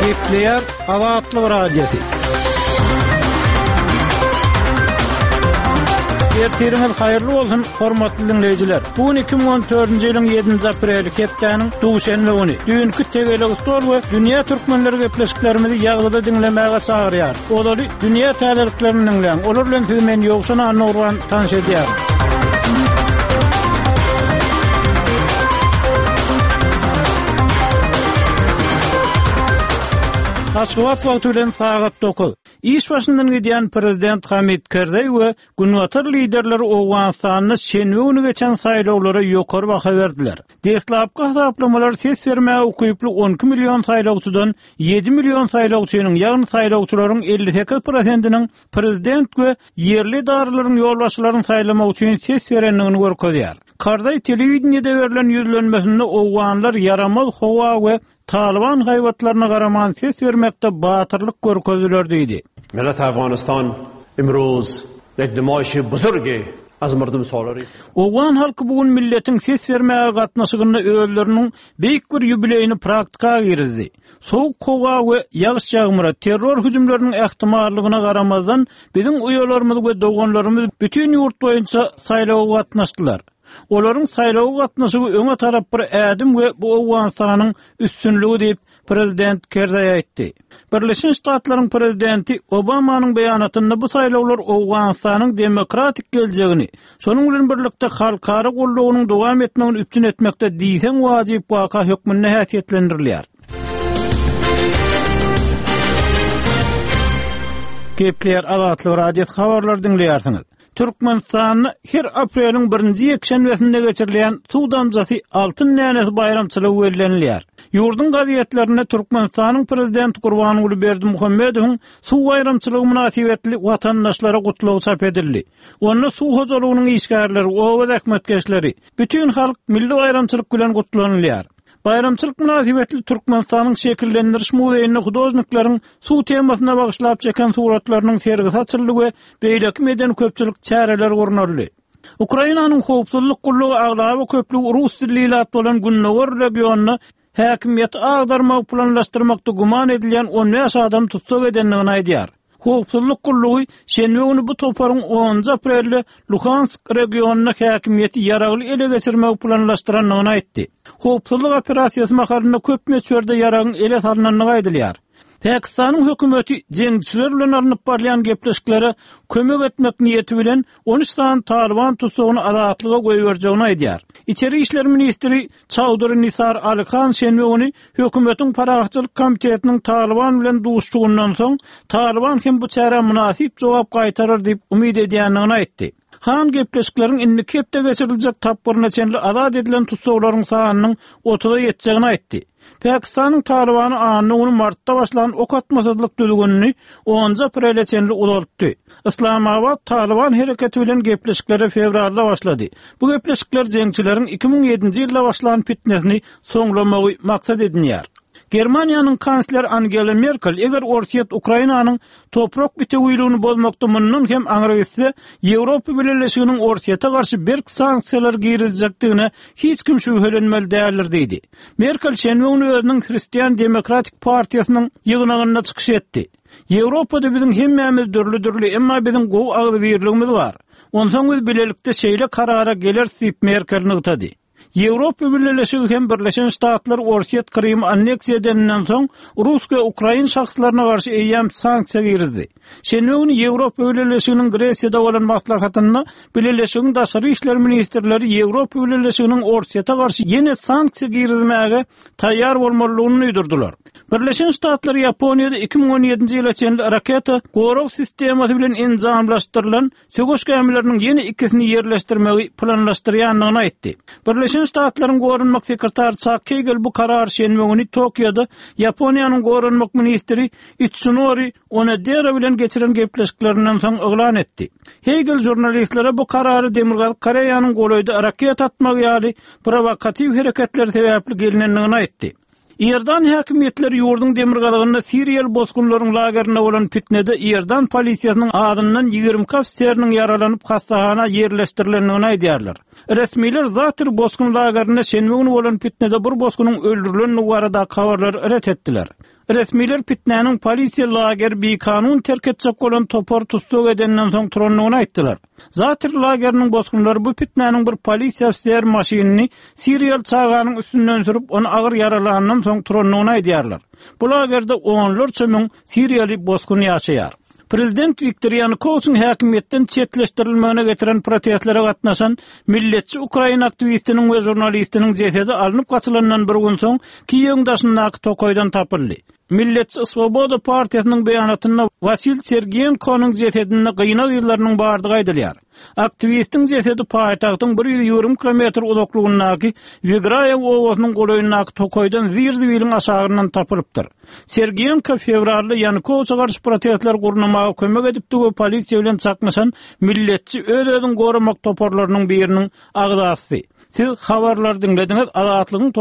Gepleýär Azatlyk Radiosy. Ertiriňiz haýyrly bolsun, hormatly diňleýjiler. Bu gün 2014-nji ýylyň 7-nji apreli, hepdäniň duşenbe güni. Düýnki tegelek stol we dünýä türkmenleri gepleşiklerimizi ýazgyda diňlemäge çagyrýar. Ozaly dünýä täzeliklerini diňläň. Olar bilen sizi men Ýowşan Annagurban tanyş edýärin. Aşgabat wagty bilen sagat 9. Iş başyndan gidýän prezident Hamid Kerzeý we Günbatar liderleri Owganystanda şenbe güni geçen saýlawlara ýokary baha berdiler. Deslapky hasaplamalar ses bermäge ukyply 12 million saýlawçydan 7 million saýlawçynyň, ýagny saýlawçylaryň 58 prosentiniň prezident we ýerli edaralaryň ýolbaşçylaryny saýlamak üçin ses berendigini görkezýär. Karzaý telewideniýede berlen ýüzlenmesinde owganlar ýaramaz howa we Talyban haýbatlaryna garaman ses bermekde batyrlyk görkezdiler diýdi. Millet Afganistan imruz ýek nemaýşi buzurgi az mardum solary. Owgan halky bu gün milletiň ses bermäge gatnaşygynda özleriniň beýik bir ýubileýini praktika girizdi. Sowuk howa we ýagyş-ýagmyra, terror hüjümleriniň ähtimallygyna garamazdan, biziň uýalarymyz we doganlarymyz bütin ýurt boýunça saýlawa gatnaşdylar. Olaryň saýlawa gatnaşygy öňe tarap bir ädim we bu Owganystanyň üstünligi diýip, prezident Kerzaý aýtdy. Birleşen Ştatlaryň prezidenti Obamanyň beýanatynda bu saýlawlar Owganystanyň demokratik geljegini, şonuň bilen birlikde halkara goldawynyň dowam etmegini üpjün etmekde diýseň wajyp waka hökmünde häsiýetlendirilýär. Gepleýär Azatlyk Radiosy habarlary diňleýärsiňiz. Türkmenistanda her apreliň birinji ýekşenbesinde geçirilýän Suw damjasy altyn dänesi baýramçylygy bellenilýär. Ýurduň gazetlerinde Türkmenistanyň Prezidenti Gurbanguly Berdimuhamedowyň suw baýramçylygy mynasybetli watandaşlara gutlagy çap edildi. Onda suw hojalygynyň işgärleri, oba zähmetkeşleri, bütin halk milli baýramçylyk bilen gutlanylýar. Baýramçylyk mynasybetli Türkmenistanyň Şekillendiriş muzeýinde hudožnikleriň suw temasyna bagyşlap çeken suratlarynyň sergisi açyldy we beýleki medeni-köpçülik çäreleri gurnaldy. Ukrainanyň howpsuzlyk gullugy aglaba köplügi rus dilli ilat bolan gündogar regionda häkimiýeti agdarmagy planlaşdyrmakda güman edilýän 15 adamy tussag edendigini aýdýar. Howpsuzlyk gullugy şenbe güni bu toparyň onunjy aprelde Luhansk regionynda häkimiýeti ýaragly ele geçirmegi planlaşdyrandygyny aýtdy. Howpsuzlyk operasiýasy mahalynda köp möçberde ýaragyň ele salnandygy aýdylýar. Pakistanyň hökümeti jeňçiler bilen alnyp barylýan gepleşiklere kömek etmek niýeti bilen 13 sany talyban tussagyny azatlyga goýberjegini aýdýar. Içeri işler ministri Çaudury Nisar Ali Han şenbe güni hökümetiň parahatçylyk komitetiniň Talyban bilen duşuşygyndan soň, Talyban hem bu çärä mynasyp jogap gaýtarar diýip umyt edýändigini aýtdy. Han gepleşikleriň indiki hepde geçiriljek tapgyryna çenli azat edilen tussaglaryň sanynyň otuza ýetjegini aýtdy. Pakistanyň Talybany anna güni martda başlan ok atmasyzlyk düzgünini onunjy aprele çenli uzaltdy. Yslamabat Talyban hereketi bilen gepleşiklere fewralda başlady. Bu gepleşikler jeňçileriň 2007-nji ýylda başlan pitnesini soňlamagy maksat edinýär. Germaniýanyň kansleri Angela Merkel eger Orsýet Ukrainanyň toprak bitewiligini bozmakda mundan hem aňry gitse, Ýewropa Bileleşiginiň Orsýete garşy berk sanksiýalar girizjekdigine hiç kim şübhelenmeli däldir diýdi. Merkel şenbe güni özüniň Hristian demokratik partiýasynyň ýygnagynda çykyş etdi. Ýewropada biziň hemmämiz dürli-dürli, emma biziň gowy agzybirligimiz bar. Onsoň biz bilelikde şeýle karara geleris diýip, Merkel nygtady. Ýewropa Bileleşigi hem Birleşen Ştatlar Orsýet Krymy anneksiýa edeninden soň, rus we ukrain şahslaryna garşy eýýäm sanksiýa girizdi. Şenbe güni Ýewropa Bileleşiginiň Gresiýada bolan maslahatynda Bileleşigiň daşary işler ministrleri Ýewropa Bileleşiginiň Orsýete garşy ýene sanksiýa girizmäge taýýar bolmalydygyny duýdurdylar. Birleşen Ştatlar Ýaponiýada 2017-nji ýyla çenli raketa gorag sistemasy bilen enjamlaşdyrylan söweş gämileriniň ýene ikisini ýerleşdirmegi planlaşdyrýandygyny aýtdy. Birleşen Ştatlaryň goranmak sekretary Çak Keýgel bu karary şenbe güni Tokioda Ýaponiýanyň goranmak ministri Itsunori Onodera bilen geçiren gepleşiklerinden soň yglan etdi. Heýgel žurnalistlere bu karary Demirgazyk Koreýanyň golaýda raketa atmagy ýaly prowokatiw hereketleri sebäpli gelnendigini aýtdy. Iordan häkimiýetleri ýurduň demirgazygynda siriýaly bosgunlaryň lagerinde bolan pitnede iordan polisiýasynyň azyndan 22 ofiseriniň ýaralanyp hassahana ýerleşdirilendigini aýdýarlar. Resmiler Zater bosgun lagerinde şenbe güni bolan pitnede bir bosgunyň öldürilendigi baradaky habarlary ret etdiler. Resmiler pitnäniň polisiýa lageri bikanun terk etjek bolan topary tussag edenden soň turandygyny aýtdylar. Zater lageriniň bosgunlary bu pitnäniň bir polisiýa ofiser maşynyny siriýaly çaganyň üstünden sürüp, ony agyr ýaralandan soň turandygyny aýdýarlar. Bu lagerde onlarça müň siriýaly bosgun ýaşaýar. Prezident Wiktor Ýanukowiçiň häkimiýetden çetleşdirilmegine getiren protestlere gatnaşan milletçi ukrain aktiwistiniň we žurnalistiniň jesedi alnyp gaçylandan bir gün soň Kiýewiň daşyndaky tokaýdan tapyldy. Milletçi Swoboda partiýasynyň beýanatynda Wasil Sergiýenkonyň jesedinde gynag yzlarynyň bardygy aýdylýar. Aktiwistiň jesedi paýtagtyň 120 kilometr uzaklygyndaky Wigraýew obasynyň golaýyndaky tokaýdan zir-zibiliň aşagyndan tapylypdyr. Sergiýenko fewralda Ýanukowiçe garşy protestleri gurnamaga kömek edipdi we polisiýa bilen çaknyşan milletçi öz-özüňi goramak toparlarynyň biriniň agzasy. Siz habarlary diňlediňiz, Azatlygyň.